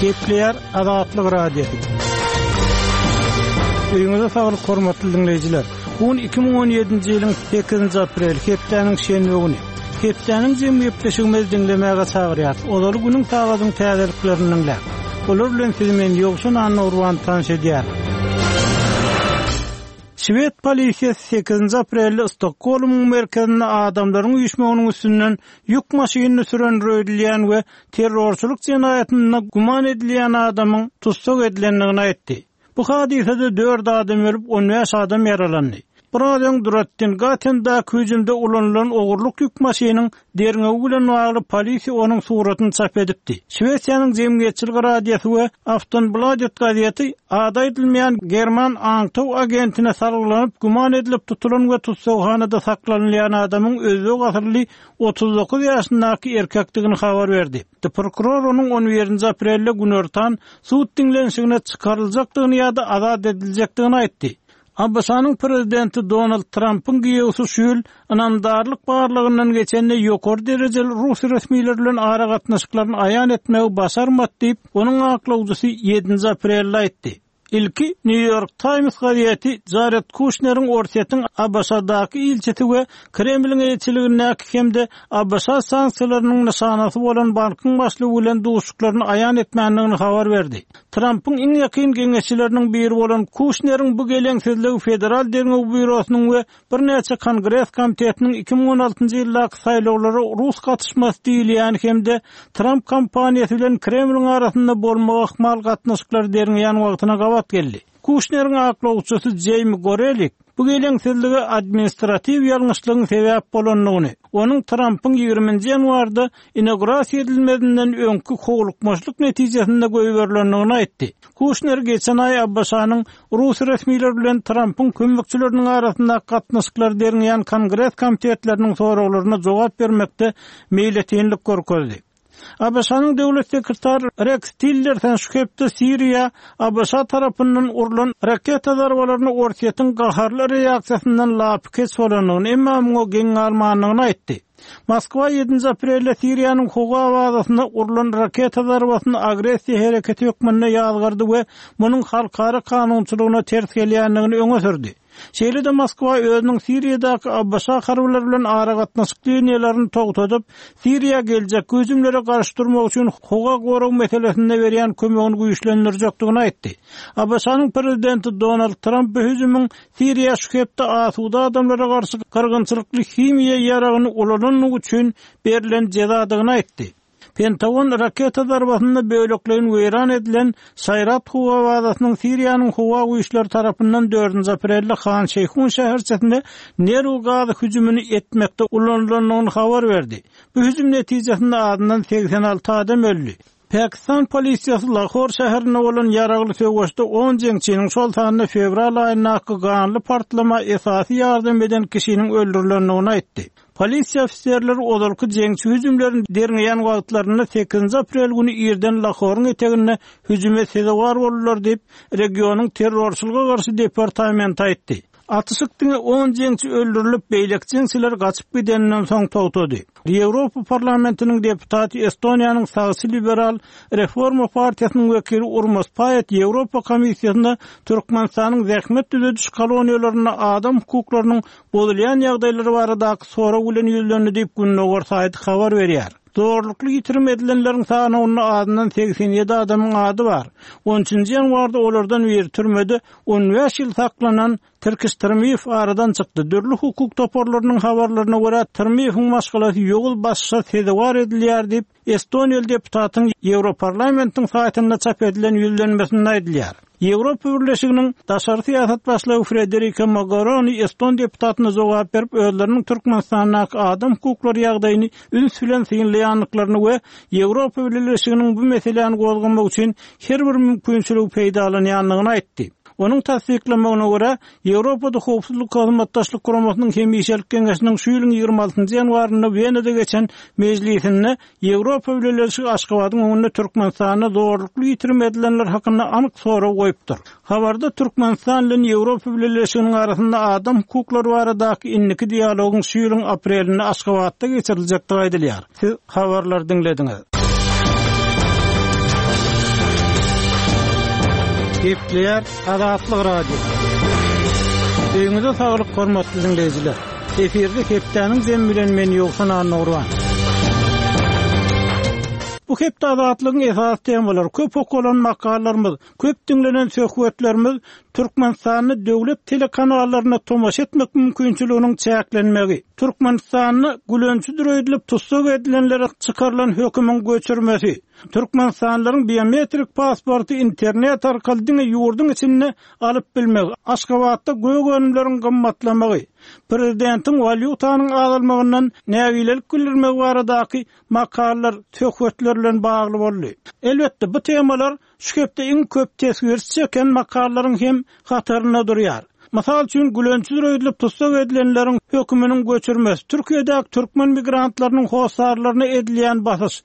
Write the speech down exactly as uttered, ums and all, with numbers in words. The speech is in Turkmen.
Gepleýär Azatlyk Radiosy. Öýüňize saglyk hormatly diňleýjiler. Bu gün iki müň on ýedinji ýylyň sekizinji apreli, hepdäniň şenbe güni. Hepdäniň jemi gepleşigimizi diňlemäge çagyrýar. Ozaly günüň sagadyň täzeliklerini diňläň. Olar bilen sizi men Ýowşan Annagurban tanyş edýär. Şwed polisiýasy sekizinji aprelde Stokgolmyň merkezinde adamlaryň üýşmeginiň üstünden ýük maşynyny süren röýdülýän we terrorçylyk jenaýatynda güman edilýän adamyň tussag edilendigini aýtdy. Bu hadysada dört adam ölüp, on bäş adam ýaralandy. Biraz öň Drottningatendäki hüjümde ulanylan ogurlyk ýük maşynyň derňewi bilen bagly polisiýa onuň suratyny çap edipdi. Şwesiýanyň jemgyýetçilik radiosy we Aftonbladet gazeti ady aýdylmaýan German aňtaw agentine salgylanyp güman edilip tutulan we tussaghanada saklanylýan adamyň özbek asylly otuz dokuz ýaşyndaky erkekdigini habar berdi. Prokuror onuň on birinji aprelde günortan sud diňlenişigine çykaryljakdygyny ýa-da azat ediljekdigini aýtdy. A B Ş-nyň prezidenti Donald Trumpyň giýewsi şu ýyl ynamdarlyk barlygyndan geçende ýokary derejeli Rus resmileri bilen aragatnaşyklaryny aýan etmegi başarmady diýip, onuň aklawjysy ýedinji aprelde aýtdy. Ilki New York Times gazeti Jared Kushneriň Orsýetiň A B Ş-daky ilçisi we Kremliň elçiligindäki hem-de A B Ş sanksiýalarynyň nyşanasy bolan bankyň başlygy bilen duşuklaryny aýan etmändigini habar berdi. Trumpyň iň ýakyn geňeşçileriniň biri bolan Kushneriň bu geleňsizligi Federal Derňew Býurosynyň we birnäçe Kongres komitetiniň iki müň on altynjy ýyldaky saýlawlara Rus gatyşmasy diýilýän hem-de Trump kampaniýasy bilen Kremliň arasynda bolmagy ahmal gatnaşyklary derňeýän wagtyna gabat geldi. Kushneriň aklawçysy Jamie Gorelik bu geleňsizlige administratiw ýalňyşlygyň sebäp bolandygyny, onuň Trumpyň ýigriminji ýanwarda inaugurasiýa edilmezinden öňki howlukmaçlyk netijesinde goýberilendigini aýtdy. Kushner geçen aý A B Ş-nyň Rus resmileri bilen Trumpyň kömekçileriniň arasynda gatnaşyklary derňeýän Kongres komitetleriniň soraglaryna jogap bermekde meýletinlik görkezdi. A B Ş-nyň döwlet sekretary Rex Tillerson şu hepde Siriýa A B Ş tarapyndan urlan raketa zarbalaryny Orsýetiň gaharly reaksiýasyndan lapykeç bolandygyny, emma muňa geň galmandygyny aýtdy. Moskwa ýedinji aprelde Siriýanyň howa bazasynda urlan raketa zarbasyny agressiýa hereketi hökmünde ýazgardy we munuň halkara kanunçylygyna ters gelýändigini öňe sürdi. Şeýle-de Moskwa özüniň Siriýadaky A B Ş harbylary bilen aragatnaşyk liniýalaryny togtadyp, Siriýa geljek hüjümlere garşy durmak üçin howa gorag meselesinde berýän kömegini güýçlendirjekdigini aýtdy. A B Ş-nyň prezidenti Donald Trump bu hüjümiň Siriýa şu hepde asuda adamlara garşy gyrgynçylykly himiýa ýaragyny ulanandygy üçin berlen jezadygyny aýtdy. Pentagon raketa zarbasynda bölekleýin weýran edilen Saýrat howa bazasynyň Siriýanyň howa güýçleri tarapyndan dördünji aprelde Han Şeýhun şäherçesinde nerw gazy hüjümini etmekde ulanylandygyny habar berdi. Bu hüjüm netijesinde azyndan segsen alty adam öldi. Pakistan polisiýasy Lahor şäherinde bolan ýaragly söweşde on jeňçiniň şol sanda fewral aýyndaky ganly partlama esasy ýardam eden kişiniň öldürilendigini aýtdy. Polisiýa ofiserleri ozalky jeňçi hüjümlerini derňeýän wagtlarynda sekizinji aprel güni irden Lahoryň eteginde hüjüme sezewar boldular diýip, regionyň terrorçylyga garşy departamenti aýtdy. Atyşyk diňe on jeňçi öldürilip, beýleki jeňçiler gaçyp gideninden soň togtady. Ýewropa parlamentiniň deputaty Estoniýanyň sagçy liberal Reforma partiýasynyň wekili Urmas Paet Ýewropa komissiýasynda Türkmenistanyň zähmet düzediş koloniýalarynda adam hukuklarynyň bozulýan ýagdaýlary baradaky sorag bilen ýüzlendi diýip Gündogar saýty habar berýär. Zorlukly ýitirim edilenleriň sanawynda azyndan segsen ýedi adamyň ady bar. On üçünji ýanwarda olardan biri türmede on bäş ýyl saklanan Tirkiş Tyrmyýew aradan çykdy. Dürli hukuk toparlarynyň habarlaryna görä Tyrmyýewiň maşgalasy ýoguz başşa sezewar edilýär diýip Estoniýaly deputatyň Ýewroparlamentiň saýtynda çap edilen ýüzlenmesinde aýdylýar. Ýewropa Birleşiginiň daşary syýasat başlygy Frederika Mogherini Eston deputatyna jogap berip, özleriniň Türkmenistandaky adam hukuklary ýagdaýyny üns bilen synlaýandyklaryny we Ýewropa Birleşiginiň bu meseläni gozgamak üçin her bir mümkinçiligi peýdalanýandygyny aýtdy. Onuň tassyklamagyna görä, Ýewropada Howpsuzlyk Hyzmatdaşlyk Guramasynyň hemişelik geňeşiniň şu ýylyň ýigrimi altynjy ýanwarynda Wenada geçen mejlisinde Ýewropa Birleşigi Aşgabadyň öňünde Türkmenistanda zorlukly ýitirim edilenler hakynda anyk sorag goýupdyr. Habarda Türkmenistan bilen Ýewropa Birleşiginiň arasynda adam hukuklary baradaky indiki dialogyň şu ýylyň aprelinde Aşgabatda geçiriljekdigi aýdylýar. Siz habarlary diňlediňiz. Gepleýär Azatlyk Radiosy. Öýüňize saglyk hormatly diňleýjiler. Efirde hepdäniň jemi bilen men Ýowşan Annagurban. Bu hepde Azatlygyň esasy temalary, köp okalan makalalarymyz, köp diňlenen söhbetlerimiz Türkmenistanda döwlet telekanallaryna tomaşa etmek mümkinçiliginiň çäklenmegi, Türkmenistanda gülençidir öýdülip tussag edilenlere çykarylan hökümiň göçürmesi, Türkmenistanlylaryň biometrik pasporty internet arkaly diňe ýurduň içinde alyp bilmegi, Aşgabatda gök önümleriň gymmatlamagy, prezidentiň walýutanyň azalmagyndan nägilelik bildirmegi baradaky makalalar, söhbetler bilen bagly boldy. Elbetde, bu temalar şu hepde iň köp teswir çeken makalalaryň hem hatarynda durýar. Mysal üçin, gülençidir öýdülip tussag edilenleriň höküminiň göçürmesi, Türkiýedäki türkmen migrantlarynyň hossarlaryna edilýän basyş,